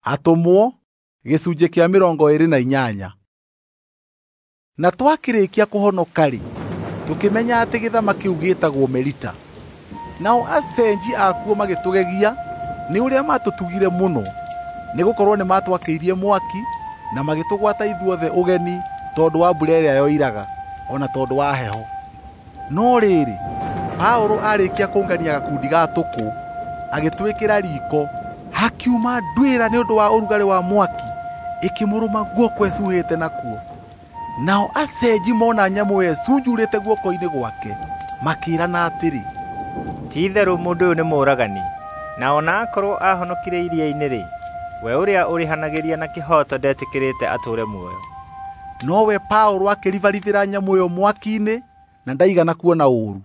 Atũmwo gĩcunjĩ kĩa 28. Na twakĩrĩkia kũhonoka-rĩ, tũkĩmenya atĩ gĩthama kĩu gĩĩtagwo Melita. Nao acenji akuo magĩtũgegia nĩ ũrĩa maatũtugire mũno, nĩgũkorwo nĩmatwakĩirie mwaki na magĩtũgwata ithuothe ũgeni tondũ wa mbura ĩrĩa yoiraga, o na tondũ wa heho. No rĩrĩ, Paũlũ aarĩkia kũngania gakundi ga tũkũ, agĩtwĩkĩra riiko, hakiuma nduĩra nĩ ũndũ wa ũrugarĩ wa mwaki, ĩkĩmũrũma guoko ĩcuhĩte nakuo. Nao acenji mona nyamũ ĩyo ĩcunjurĩte guoko-inĩ gwake, makĩĩrana atĩrĩ, "Ti-itherũ mũndũ ũyũ nĩ mũũragani, na o na akorwo aahonokire iria-inĩ-rĩ, we ũrĩa ũrĩhanagĩria na kĩhooto ndetĩkĩrĩte atũũre muoyo." Nowe Paũlũ akĩribaribĩra nyamũ ĩyo mwaki-inĩ na ndaigana kuona ũũru.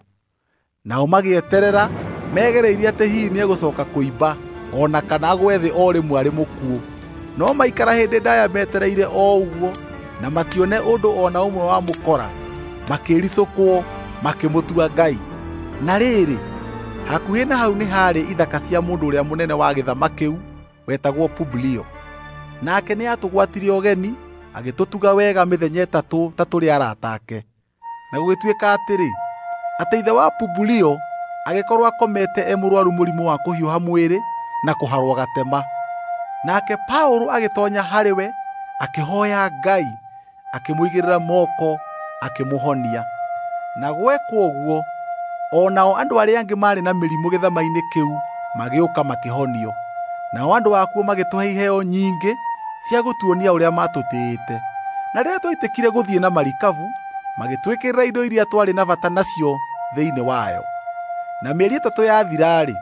Nao magĩeterera megereirie atĩ hihi nĩegũcooka kũimba o na kana agwe thĩ o rĩmwe arĩ mũkuũ. No maikara hĩndĩ ndaaya metereire o ũguo na matione ũndũ o na ũmwe wa mũkora, makĩĩricũkwo makĩmũtua ngai. Na rĩrĩ, hakuhĩ na hau nĩ haarĩ ithaka cia mũndũ ũrĩa mũnene wa gĩthama kĩu wetagwo Publio. Nake nĩatũgwatirie ũgeni agĩtũtuga wega mĩthenya ĩtatũ ta tũrĩ arata ake. Na gũgĩtuĩka atĩrĩ, atĩ ithe wa Publio agĩkorwo akomete e mũrũaru mũrimũ wa kũhiũha mwĩrĩ na kũharwo gatema. Nake Paũlũ agĩtoonya harĩ we, akĩhooya Ngai, akĩmũigĩrĩra moko, akĩmũhonia. Na gwekwo ũguo, o nao andũ arĩa angĩ maarĩ na mĩrimũ gĩthama-inĩ kĩu magĩũka makĩhonio. Nao andũ akuo magĩtũhe iheo nyingĩ cia gũtuonia ũrĩa maatũtĩĩte. Na rĩrĩa twaitĩkire gũthiĩ na marikabu, magĩtwĩkĩrĩra indo iria twarĩ na bata nacio thĩinĩ wayo. Na mĩeri ĩtatũ yathira-rĩ,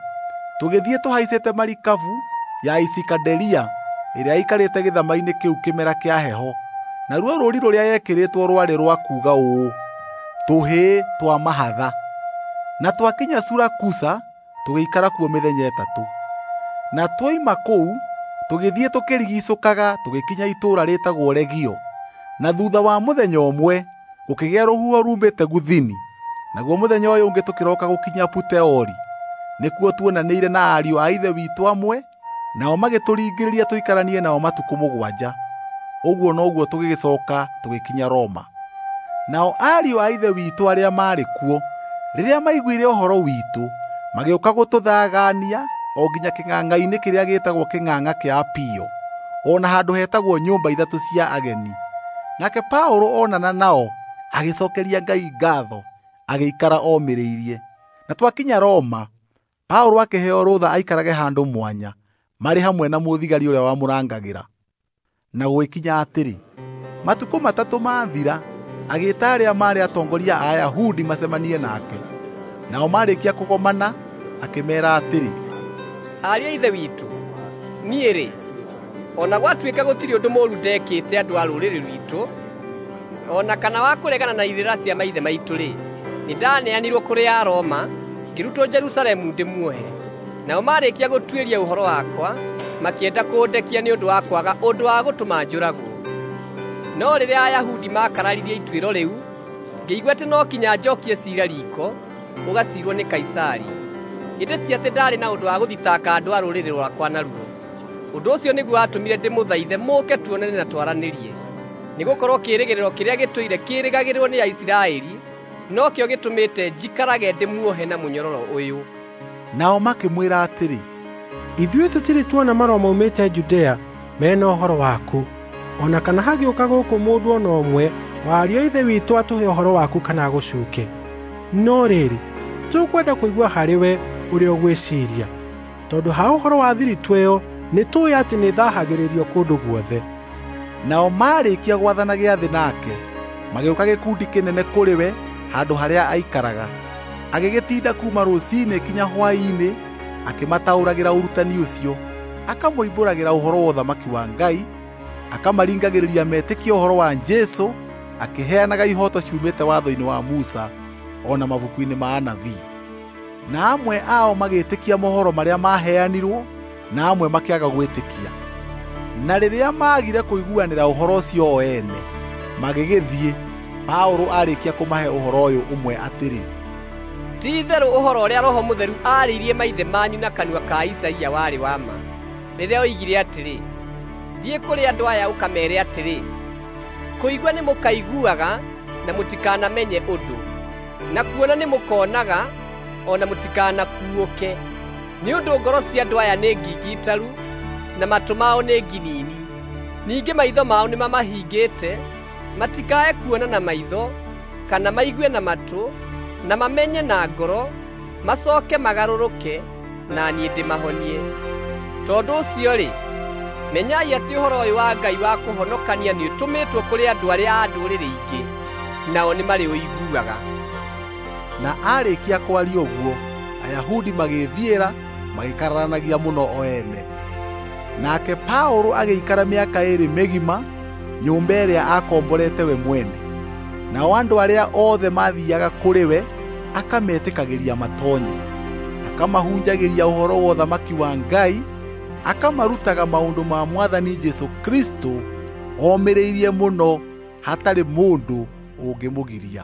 tũgĩthiĩ tũhaicĩte marikabu ya Isikaderia ĩrĩa yaikarĩte gĩthama-inĩ kĩu kĩmera kĩa heho. Naruo rũũri rũrĩa yekĩrĩtwo rwarĩ rwa kuuga ũũ, "Tũhĩĩ twa mahatha." Na twakinya Surakusa tũgĩikara kuo mĩthenya ĩtatũ. Na twoima kũu tũgĩthiĩ tũkĩrigiicũkaga tũgĩkinya itũũra rĩĩtagwo Regio. Na thuutha wa mũthenya ũmwe gũkĩgĩa rũhuho ruumĩte Guthini, naguo mũthenya ũyũ ũngĩ tũkĩroka gũkinya Puteoli. Nĩkuo tuonanĩire na ariũ a Ithe witũ amwe, nao magĩtũringĩrĩria tũikaranie nao matukũ 7. Ũguo noguo tũgĩgĩcooka tũgĩkinya Roma. Nao ariũ a Ithe witũ arĩa maarĩ kuo, rĩrĩa maiguire ũhoro witũ, magĩũka gũtũthagaania o nginya kĩng'ang'a-inĩ kĩrĩa gĩĩtagwo Kĩng'ang'a kĩa Apio, o na handũ hetagwo Nyũmba Ithatũ cia Ageni. Nake Paũlũ onana nao agĩcookeria Ngai ngaatho, agĩikara omĩrĩirie. Na twakinya Roma, Paũlũ akĩheo rũtha aikarage handũ mwanya, marĩ hamwe na mũthigari ũrĩa wamũrangagĩra. Na gũgĩkinya atĩrĩ, matukũ 3 maathira, agĩĩta arĩa maarĩ atongoria a Ayahudi macemanie nake. Nao maarĩkia kũgomana, akĩmeera atĩrĩ, "Ariũ a Ithe witũ, niĩ-rĩ, o na gwatuĩka gũtirĩ ũndũ mũũru ndeekĩte andũ a rũrĩrĩ rwitũ, o na kana wa kũregana na irĩra cia maithe maitũ-rĩ, nĩndaneanirwo kũrĩ Aroma, ngĩrutwo Jerusalemu ndĩmuohe. Nao maarĩkia gũtuĩria ũhoro wakwa, makĩenda kũndekia nĩ ũndũ wa kwaga ũndũ wa gũtũma njũragwo. No rĩrĩa Ayahudi maakararirie ituĩro rĩu, ngĩigua atĩ no kinya njookie ciira riiko, ũgaciirwo nĩ Kaisari. Ĩndĩ ti atĩ ndaarĩ na ũndũ wa gũthitanga andũ a rũrĩrĩ rwakwa naruo. Ũndũ ũcio nĩguo watũmire ndĩmũthaithe mũũke tuonane na twaranĩrie. Nĩgũkorwo kĩĩrĩgĩrĩro kĩrĩa gĩtũire kĩĩrĩgagĩrĩrwo nĩ Aisiraeli nokĩo gĩtũmĩte njikarage ndĩmuohe na mũnyororo ũyũ." Nao makĩmwĩra atĩrĩ, "Ithuĩ tũtirĩ tuona marũa maumĩte Judea mena ũhoro waku, o na kana hagĩũka gũkũ mũndũ o na ũmwe wa ariũ a Ithe witũ atũhe ũhoro waku kana agũcuuke. No rĩrĩ, tũkwenda kũigua harĩ we ũrĩa ũgwĩciiria, tondũ ha ũhoro wa thiritũ ĩyo nĩtũũĩ atĩ nĩĩthahagĩrĩrio kũndũ guothe." Nao maarĩkia gwathana gĩathĩ nake, magĩũka gĩkundi kĩnene kũrĩ we handũ harĩa aikaraga. Agĩgĩtinda kuuma rũciinĩ kinya hwaĩ-inĩ akĩmataũragĩra ũrutani ũcio, akamoimbũragĩra ũhoro wa ũthamaki wa Ngai, akamaringagĩrĩria metĩkie ũhoro wa Jesũ, akĩheanaga ihooto ciumĩte watho-inĩ wa Musa o na mabuku-inĩ ma anabii. Na amwe ao magĩĩtĩkia mohoro marĩa maaheanirwo, na amwe makĩaga gwĩtĩkia. Na rĩrĩa maagire kũiguanĩra ũhoro ũcio o ene, magĩgĩthiĩ. Paũlũ aarĩkia kũmahe ũhoro ũyũ ũmwe atĩrĩ, "Ti-itherũ ũhoro ũrĩa Roho Mũtheru aarĩirie maithe manyu na kanua ka Isaia warĩ wa ma, rĩrĩa oigire atĩrĩ, Thiĩ kũrĩ andũ aya ũkameere atĩrĩ, kũigua nĩ mũkaiguaga na mũtikanamenye ũndũ, na kuona nĩ mũkonaga o na mũtikanakuũke. Nĩ ũndũ ngoro cia andũ aya nĩ ngingitaru na matũ mao nĩ nginini. Ningĩ maitho mao nĩmamahingĩte, matikae kuona na maitho, kana maigue na matũ, na mamenye na ngoro, macoke magarũrũke, na niĩ ndĩmahonie. Tondũ ũcio-rĩ, menyai atĩ ũhoro ũyũ wa Ngai wa kũhonokania nĩũtũmĩtwo kũrĩ andũ arĩa a ndũrĩrĩ ingĩ, nao nĩmarĩũiguaga. Na aarĩkia kwaria ũguo, Ayahudi magĩĩthiĩra magĩkararanagia mũno o ene. Nake Paũlũ agĩikara mĩaka ĩĩrĩ mĩgima nyũmba ĩrĩa aakomborete we mwene. Nao andũ arĩa othe maathiiaga kũrĩ we akametĩkagĩria matonye, akamahunjagĩria ũhoro wa ũthamaki wa Ngai, akamarutaga maũndũ ma Mwathani Jesũ Kristũ omĩrĩirie mũno hatarĩ mũndũ ũngĩmũgiria.